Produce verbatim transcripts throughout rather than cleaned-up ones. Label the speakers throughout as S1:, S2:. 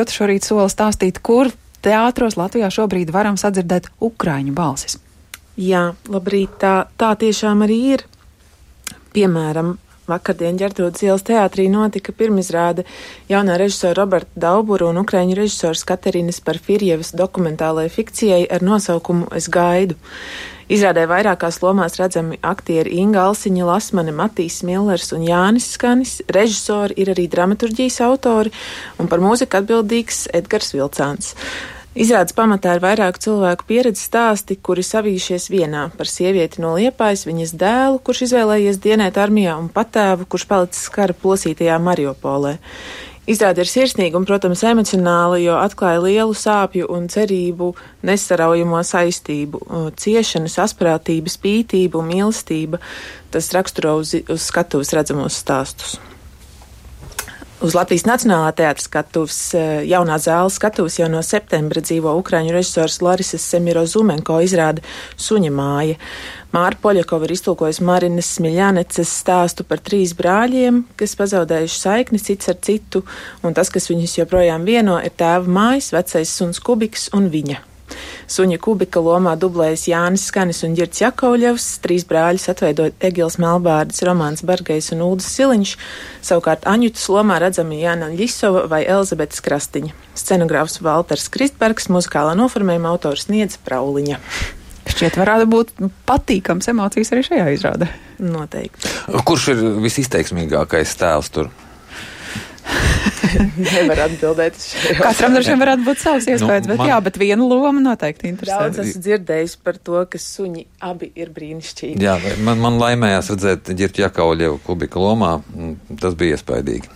S1: Šorīt sola stāstīt, kur teātros Latvijā šobrīd varam sadzirdēt ukraiņu balsis.
S2: Jā, labrīt, tā, tā tiešām arī ir. Piemēram, vakardien Ģertrūdes ielas teātrī notika pirmizrāde jaunā režisora Roberta Daubura un ukraiņu režisors Katerinas Parfirjevas dokumentālajai fikcijai ar nosaukumu Es gaidu. Izrādē vairākās lomās redzami aktieri Inga Alsiņa, Lasmane, Matīs Millers un Jānis Skanis. Režisori ir arī dramaturģijas autori un par mūziku atbildīgs Edgars Vilcāns. Izrādes pamatā ir vairāku cilvēku pieredzes stāsti, kuri savījušies vienā par sievieti no Liepājas, viņas dēlu, kurš izvēlējies dienēt armijā, un patēvu, kurš palicis kara plosītajā Mariupolē. Izrāde ir sirsnīga un, protams, emocionāla, jo atklāja lielu sāpju un cerību nesaraujamo saistību, ciešanu, asprātību, spītību un mīlestību. Tas raksturo uz, uz skatuves redzamos stāstus. Uz Latvijas Nacionālā teātra skatuves jaunā zāles skatuves jau no septembra dzīvo ukraiņu režisors Larisas Semirozumenko izrāde Suņa māja. Māra Poļakova ir iztulkojusi Marinas Smiļāneces stāstu par trīs brāļiem, kas pazaudējuši saikni cits ar citu, un tas, kas viņus joprojām vieno, ir tēva mājas, vecais suns Kubiks un viņa. Suņa Kubika lomā dublējas Jānis Skanis un Ģirds Jakovļevs, trīs brāļus atveido Egils Melbārds, Romāns Bargejs un Uldis Siliņš, savukārt Aņutas lomā redzami Jāna Ļisova vai Elzabetes Krastiņa. Scenogrāfs Valters Kristbergs, muzikālā noformējuma autors Niedze Prauliņa.
S1: Šķiet, varētu būt patīkams emocijas arī šajā izrādē.
S2: Noteikti.
S3: Kurš ir visizteiksmīgākais tēls tur?
S2: Nevar atbildēt uz šo.
S1: Katram droši vien varētu būt savs iespējas,
S3: Nu,
S1: bet
S3: man-
S1: jā, bet viena loma noteikti interesē.
S2: Daudz esmu dzirdējis par to, ka suņi abi ir brīnišķīgi.
S3: Jā, man, man laimējās redzēt Ģirdu Jakovļevu Kubika lomā. Tas bija iespaidīgi.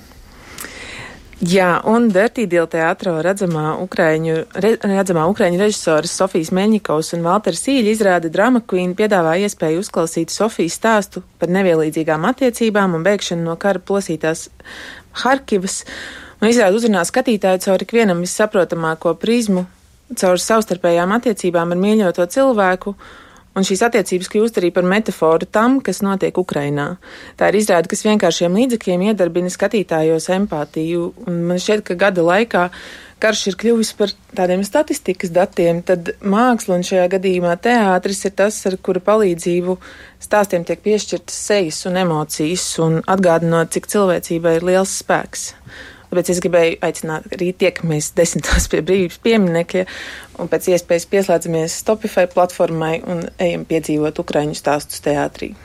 S2: Jā, un Dirty Deal teātrā redzamā ukraiņu, re, redzamā ukraiņu režisoras Sofijas Meļņikovs un Valters Sīļa izrāde Drama Queen piedāvā iespēju uzklausīt Sofijas stāstu par nevienlīdzīgām attiecībām un bēgšanu no kara plosītās Harkivas, un izrāde uzrunā skatītāju caur ikvienam vissaprotamāko prizmu, caur savstarpējām attiecībām ar mīļoto cilvēku, un šīs attiecības kļūst arī par metaforu tam, kas notiek Ukrainā. Tā ir izrāde, kas vienkāršiem līdzekļiem iedarbina skatītājos empātiju, un man šķiet, ka gada laikā karš ir kļuvis par tādiem statistikas datiem, tad māksla un šajā gadījumā teātris ir tas, ar kura palīdzību stāstiem tiek piešķirtas sejas un emocijas, un atgādinot, cik cilvēcībai ir liels spēks. Tāpēc es gribēju aicināt, arī tiekamies desmitos pie brīvības pieminekļa un pēc iespējas pieslēdzamies Stopify platformai un ejam piedzīvot ukraiņu stāstus teātrī.